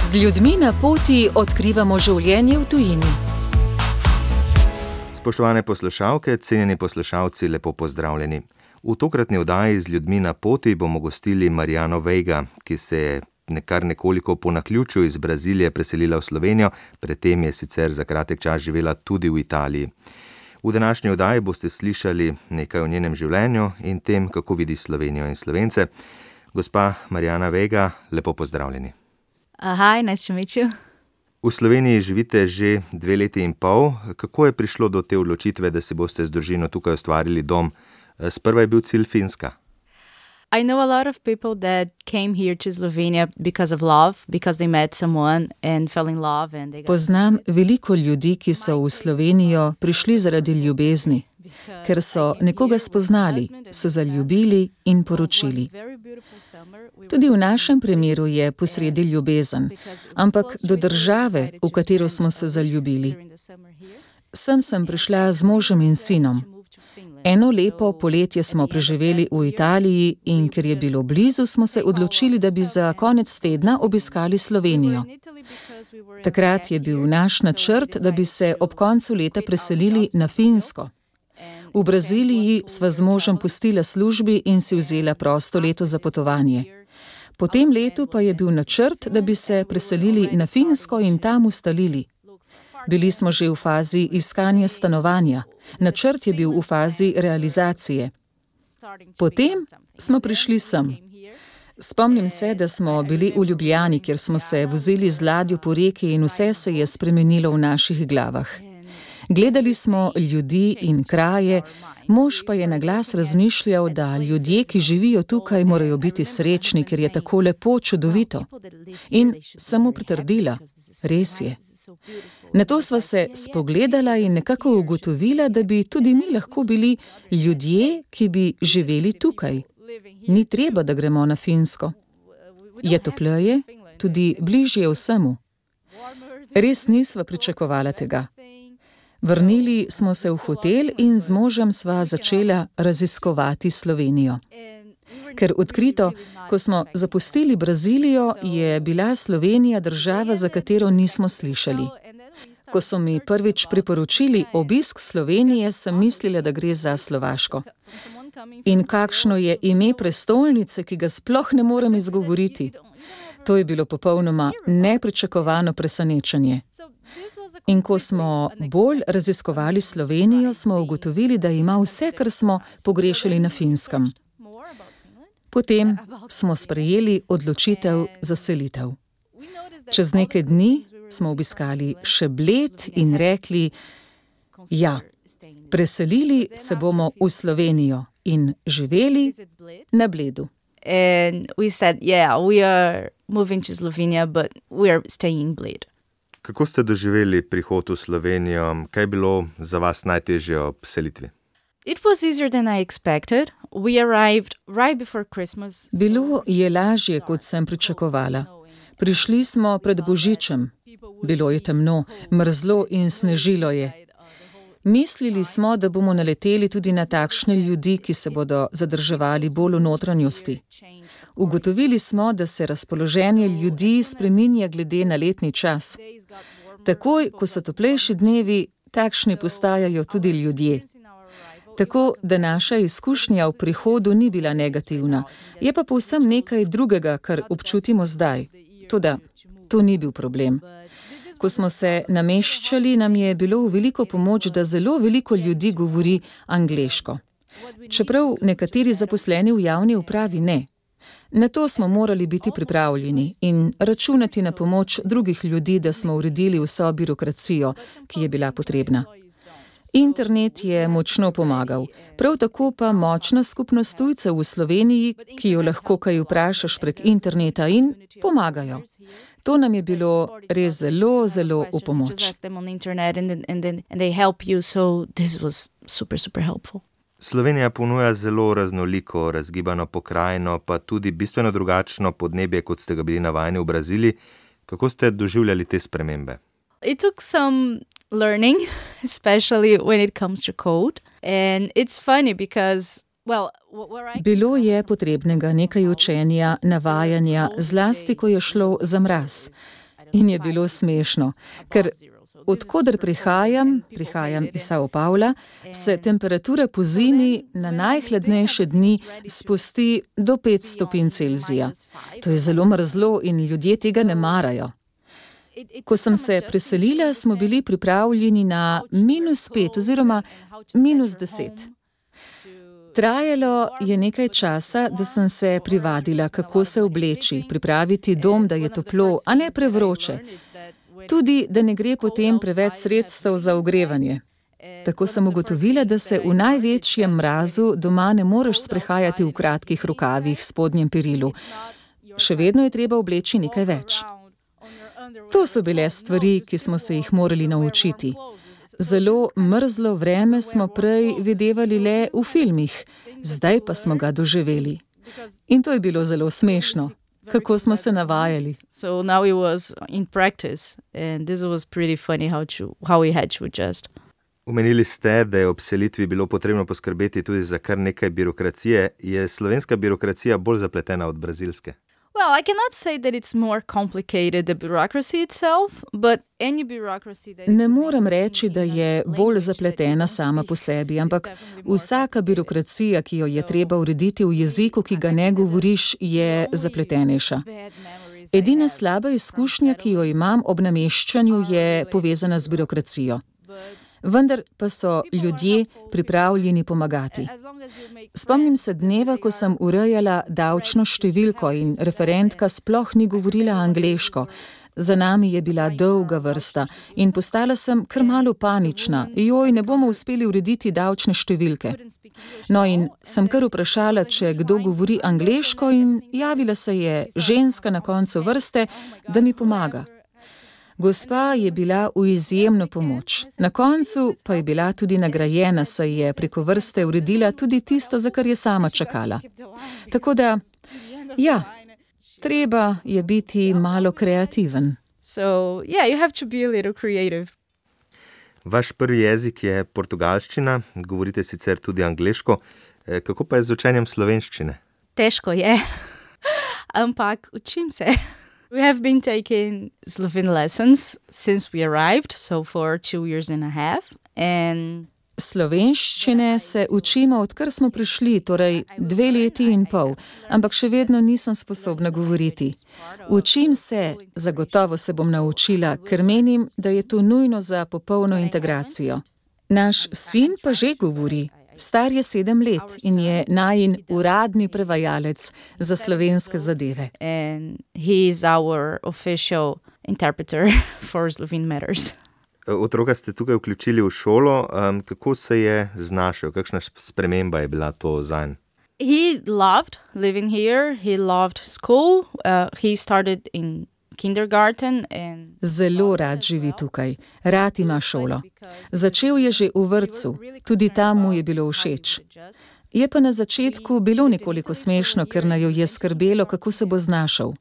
Z ljudmi na poti odkrivamo življenje v tujini. Spoštovane poslušalke, cenjeni poslušalci, lepo pozdravljeni. V tokratni oddaji Z ljudmi na poti bomo gostili Mariano Veiga, ki se je nekoliko po naključju iz Brazilije preselila v Slovenijo, predtem je sicer za kratek čas živela tudi v Italiji. V današnji oddaji boste slišali nekaj o njenem življenju in tem, kako vidi Slovenijo in Slovence. Gospa Mariana Veiga, lepo pozdravljeni. Hi, nice to meet you. V Sloveniji živite že 2 leti in pol. Kako je prišlo do te odločitve, da si boste z družino tukaj ustvarili dom? Sprva je bil cilj Finska. I know a lot of people that came here to Slovenia because of love, because they met someone and fell in love and they got... Poznam veliko ljudi, ki so v Slovenijo prišli zaradi ljubezni, ker so nekoga spoznali, se zaljubili in poročili. Tudi v našem primeru je posredi ljubezen, ampak do države, v katero smo se zaljubili. Sem prišla z možem in sinom. Eno lepo poletje smo preživeli v Italiji in ker je bilo blizu, smo se odločili, da bi za konec tedna obiskali Slovenijo. Takrat je bil naš načrt, da bi se ob koncu leta preselili na Finsko. V Braziliji sva z možem pustila službi in si vzela prosto leto za potovanje. Po tem letu pa je bil načrt, da bi se preselili na Finsko in tam ustalili. Bili smo že v fazi iskanja stanovanja. Načrt je bil v fazi realizacije. Potem smo prišli sem. Spomnim se, da smo bili v Ljubljani, kjer smo se vozili z ladjo po reki in vse se je spremenilo v naših glavah. Gledali smo ljudi in kraje, mož pa je na glas razmišljal, da ljudje, ki živijo tukaj, morajo biti srečni, ker je tako lepo, čudovito. In sem mu pritrdila, res je. Nato sva se spogledala in nekako ugotovila, da bi tudi mi lahko bili ljudje, ki bi živeli tukaj. Ni treba, da gremo na Finsko. Je topleje, tudi bližje vsemu. Res nisva pričakovala tega. Vrnili smo se v hotel in z možem sva začela raziskovati Slovenijo. Ker odkrito, ko smo zapustili Brazilijo, je bila Slovenija država, za katero nismo slišali. Ko so mi prvič priporočili obisk Slovenije, sem mislila, da gre za Slovaško. In kakšno je ime prestolnice, ki ga sploh ne morem izgovoriti. To je bilo popolnoma nepričakovano presenečenje. In ko smo bolj raziskovali Slovenijo, smo ugotovili, da ima vse, kar smo pogrešali na Finskem. Potem smo sprejeli odločitev za selitev. Čez nekaj dni smo obiskali še Bled in rekli, ja, preselili se bomo v Slovenijo in živeli na Bledu. And we said, yeah, we are moving to Slovenia, but we are staying in Bled. Kako ste doživeli prihod v Slovenijo? Kaj je bilo za vas najtežje ob selitvi? It was easier than I expected. We arrived right before Christmas. Bilo je lažje, kot sem pričakovala. Prišli smo pred Božičem. Bilo je temno, mrzlo in snežilo je. Mislili smo, da bomo naleteli tudi na takšne ljudi, ki se bodo zadrževali bolj v notranjosti. Ugotovili smo, da se razpoloženje ljudi spreminja glede na letni čas. Takoj, ko so toplejši dnevi, takšni postajajo tudi ljudje. Tako, da naša izkušnja v prihodu ni bila negativna, je pa povsem nekaj drugega, kar občutimo zdaj. Toda, to ni bil problem. Ko smo se nameščali, nam je bilo v veliko pomoč, da zelo veliko ljudi govori angleško. Čeprav nekateri zaposleni v javni upravi ne. Na to smo morali biti pripravljeni in računati na pomoč drugih ljudi, da smo uredili vso birokracijo, ki je bila potrebna. Internet je močno pomagal, prav tako pa močna skupnost tujcev v Sloveniji, ki jo lahko kaj vprašaš prek interneta in pomagajo. To nam je bilo res zelo, zelo v pomoč. Slovenija ponuja zelo raznoliko, razgibano pokrajino, pa tudi bistveno drugačno podnebje, kot ste ga bili navajeni v Braziliji. Kako ste doživljali te spremembe? It took some learning, especially when it comes to code. And it's funny because, well, Bilo je potrebnega nekaj učenja, navajanja, zlasti ko je šlo za mraz. in je bilo smešno, ker odkoder prihajam iz São Paula, se temperatura po zimi na najhladnejše dni spusti do 5 stopinj Celzija. To je zelo mrzlo in ljudje tega ne marajo. Ko sem se preselila, smo bili pripravljeni na -5 oziroma -10. Trajalo je nekaj časa, da sem se privadila, kako se obleči, pripraviti dom, da je toplo, a ne prevroče. Tudi, da ne gre potem preveč sredstev za ogrevanje. Tako sem ugotovila, da se v največjem mrazu doma ne moreš sprehajati v kratkih rokavih, spodnjem perilu. Še vedno je treba obleči nekaj več. To so bile stvari, ki smo se jih morali naučiti. Zelo mrzlo vreme smo prej videvali le v filmih, zdaj pa smo ga doživeli. In to je bilo zelo smešno. Kako smo se navajali. So now it was in practice and this was pretty funny how we had to adjust. Omenili ste, da je ob selitvi bilo potrebno poskrbeti tudi za kar nekaj birokracije. Je slovenska birokracija bolj zapletena od brazilske? Well, I cannot say that it's more complicated, the bureaucracy itself, but any bureaucracy that... Ne morem reči, da je bolj zapletena sama po sebi, ampak vsaka birokracija, ki jo je treba urediti v jeziku, ki ga ne govoriš, je zapletenejša. Edina slaba izkušnja, ki jo imam ob nameščanju, je povezana z birokracijo. Vendar pa so ljudje pripravljeni pomagati. Spomnim se dneva, ko sem urejala davčno številko in referentka sploh ni govorila angleško. Za nami je bila dolga vrsta in postala sem kar malo panična. Joj, ne bomo uspeli urediti davčne številke. No in sem kar vprašala, če kdo govori angleško in javila se je ženska na koncu vrste, da mi pomaga. Gospa je bila v izjemno pomoč. Na koncu pa je bila tudi nagrajena, saj je preko vrste uredila tudi tisto, za kar je sama čakala. Tako da, ja, treba je biti malo kreativen. So, yeah, you have to be a little creative. Vaš prvi jezik je portugalščina, govorite sicer tudi angleško. Kako pa je z učenjem slovenščine? Težko je, ampak učim se. We have been taking Slovene lessons since we arrived, so for 2.5 years. And slovenščine se učimo, odkar smo prišli, torej 2 leti in pol, ampak še vedno nisem sposobna govoriti. Učim se, zagotovo se bom naučila, ker menim, da je to nujno za popolno integracijo. Naš sin pa že govori. Star je 7 let in je najin uradni prevajalec za slovenske zadeve. And he is our official interpreter for Slovene matters. Otroka ste tukaj vključili v šolo. Kako se je znašel? Kakšna sprememba je bila to zanj? He loved living here. He loved school. He started in kindergarten and... Zelo rad živi tukaj. Rad ima šolo. Začel je že v vrtcu. Tudi tam mu je bilo všeč. Je pa na začetku bilo nekoliko smešno, ker naju je skrbelo, kako se bo znašel.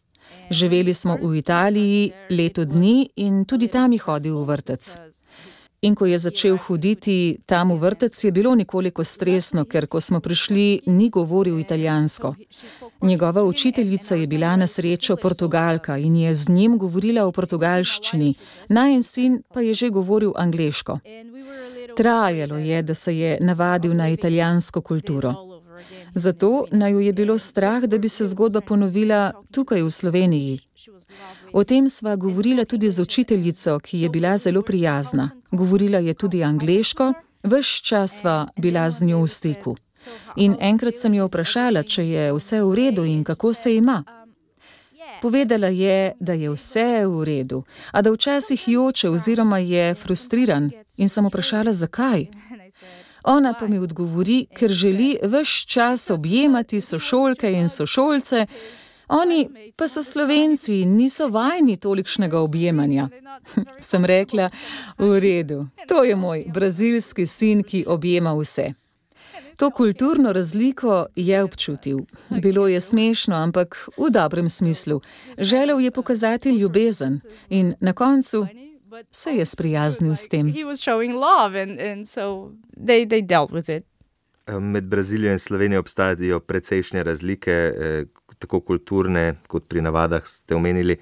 Živeli smo v Italiji 1 leto dni in tudi tam je hodil v vrtec. In ko je začel hoditi tam v vrtec, je bilo nekoliko stresno, ker ko smo prišli, ni govoril italijansko. Njegova učiteljica je bila na srečo Portugalka in je z njim govorila v portugalščini, najin sin pa je že govoril angleško. Trajalo je, da se je navadil na italijansko kulturo. Zato naju je bilo strah, da bi se zgodba ponovila tukaj v Sloveniji. O tem sva govorila tudi z učiteljico, ki je bila zelo prijazna. Govorila je tudi angleško, ves čas sva bila z njo v stiku. In enkrat sem jo vprašala, če je vse v redu in kako se ima. Povedala je, da je vse v redu, a da včasih joče oziroma je frustriran in sem vprašala, zakaj. Ona pa mi odgovori, ker želi ves čas objemati sošolke in sošolce, oni pa so Slovenci in niso vajeni tolikšnega objemanja. Sem rekla, v redu, to je moj brazilski sin, ki objema vse. To kulturno razliko je občutil. Bilo je smešno, ampak v dobrem smislu. Želel je pokazati ljubezen in na koncu se je sprijaznil s tem. Med Brazilijo in Slovenijo obstajajo precejšnje razlike, tako kulturne kot pri navadah ste omenili.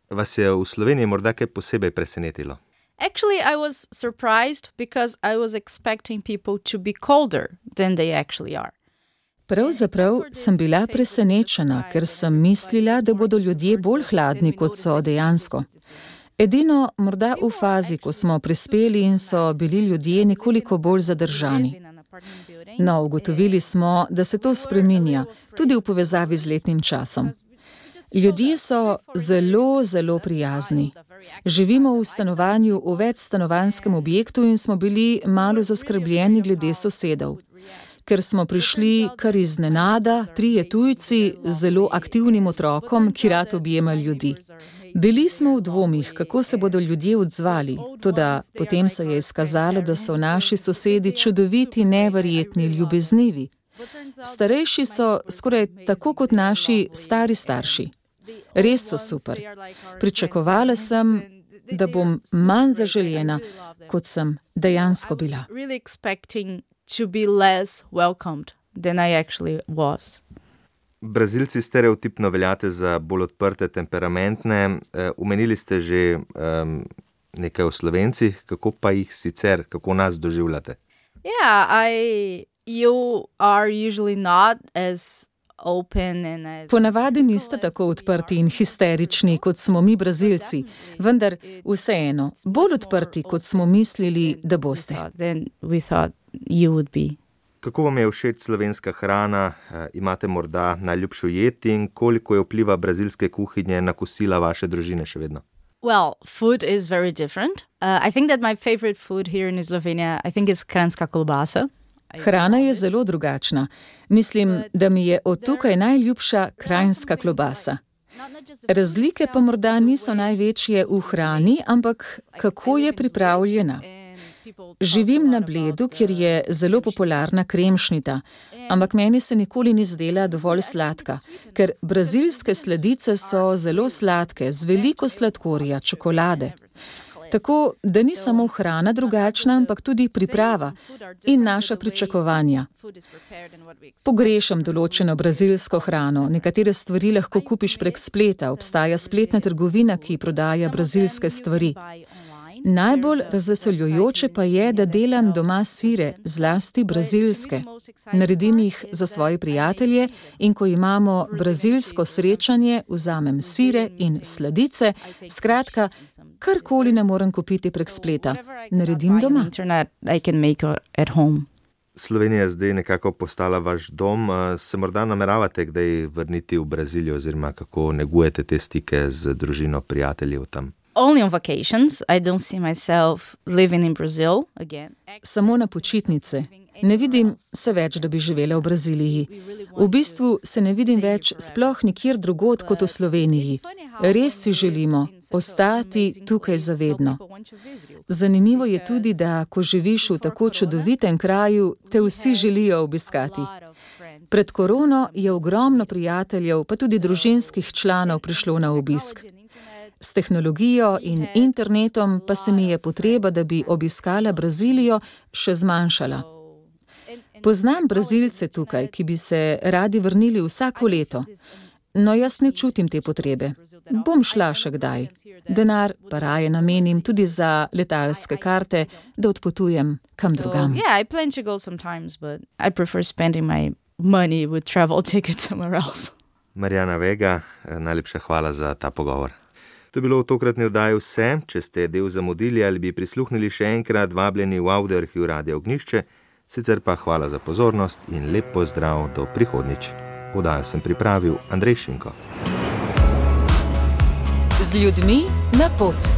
Vas je v Sloveniji morda kaj posebej presenetilo? Actually, I was surprised because I was expecting people to be colder than they actually are. Pravzaprav sem bila presenečena, ker sem mislila, da bodo ljudje bolj hladni, kot so dejansko. Edino morda v fazi, ko smo prispeli in so bili ljudje nekoliko bolj zadržani. No, ugotovili smo, da se to spreminja, tudi v povezavi z letnim časom. Ljudje so zelo, zelo prijazni. Živimo v stanovanju v večstanovanjskem objektu in smo bili malo zaskrbljeni glede sosedov. Ker smo prišli kar iznenada, 3 tujci z zelo aktivnim otrokom, ki rad objema ljudi. Bili smo v dvomih, kako se bodo ljudje odzvali, toda potem se je izkazalo, da so naši sosedi čudoviti, neverjetni, ljubeznivi. Starejši so skoraj tako kot naši stari starši. Res so super. Pričakovala sem, da bom manj zaželjena, kot sem dejansko bila. To be less welcomed than I actually was. Brazilci stereotipno veljate za bolj odprte, temperamentne. Omenili ste že nekaj o Slovencih, kako pa jih sicer, kako nas doživljate? You are usually not as open and as... Ponavadi niste tako odprti in histerični, kot smo mi Brazilci, vendar vseeno bolj odprti, kot smo mislili, da boste. You would be. Kako vam je všeč slovenska hrana? Imate morda najljubšo jed in koliko je vpliva brazilske kuhinje na kosila vaše družine še vedno? Well, food is very different. I think that my favorite food here in Slovenia, I think is kranjska kolbasa. Hrana je zelo drugačna. Mislim, da mi je od tukaj najljubša kranjska klobasa. Razlike pa morda niso največje v hrani, ampak kako je pripravljena. Živim na Bledu, kjer je zelo popularna kremšnita, ampak meni se nikoli ni zdela dovolj sladka, ker brazilske sladice so zelo sladke, z veliko sladkorja, čokolade. Tako, da ni samo hrana drugačna, ampak tudi priprava in naša pričakovanja. Pogrešam določeno brazilsko hrano, nekatere stvari lahko kupiš prek spleta, obstaja spletna trgovina, ki prodaja brazilske stvari. Najbolj razveseljujoče pa je, da delam doma sire, zlasti brazilske. Naredim jih za svoje prijatelje in ko imamo brazilsko srečanje, vzamem sire in sladice, skratka, karkoli ne morem kupiti prek spleta, naredim doma. Slovenija je zdaj nekako postala vaš dom. Se morda nameravate kdaj vrniti v Brazilijo oziroma kako negujete te stike z družino, prijateljev tam? Only on vacations. I don't see myself living in Brazil again. Samo na počitnice. Ne vidim se več, da bi živela v Braziliji. V bistvu se ne vidim več sploh nikjer drugod kot v Sloveniji. Res si želimo ostati tukaj zavedno. Zanimivo je tudi, da ko živiš v tako čudovitem kraju, te vsi želijo obiskati. Pred korono je ogromno prijateljev, pa tudi družinskih članov prišlo na obisk. S tehnologijo in internetom pa se mi je potreba, da bi obiskala Brazilijo, še zmanjšala. Poznam Brazilce tukaj, ki bi se radi vrnili vsako leto. No, jaz ne čutim te potrebe. Bom šla še kdaj. Denar pa raje namenim tudi za letalske karte, da odpotujem kam drugam. I plan to go sometimes, but I prefer spending my money with travel tickets somewhere else. Marijana Vega, najlepša hvala za ta pogovor. To je bilo v tokratni oddaji vse. Če ste del zamudili ali bi prisluhnili še enkrat, vabljeni v Audioarhiv Radia Ognjišče. Sicer pa hvala za pozornost in lep pozdrav do prihodnjič. Oddajo sem pripravil Andrej Šinko. Z ljudmi na pot.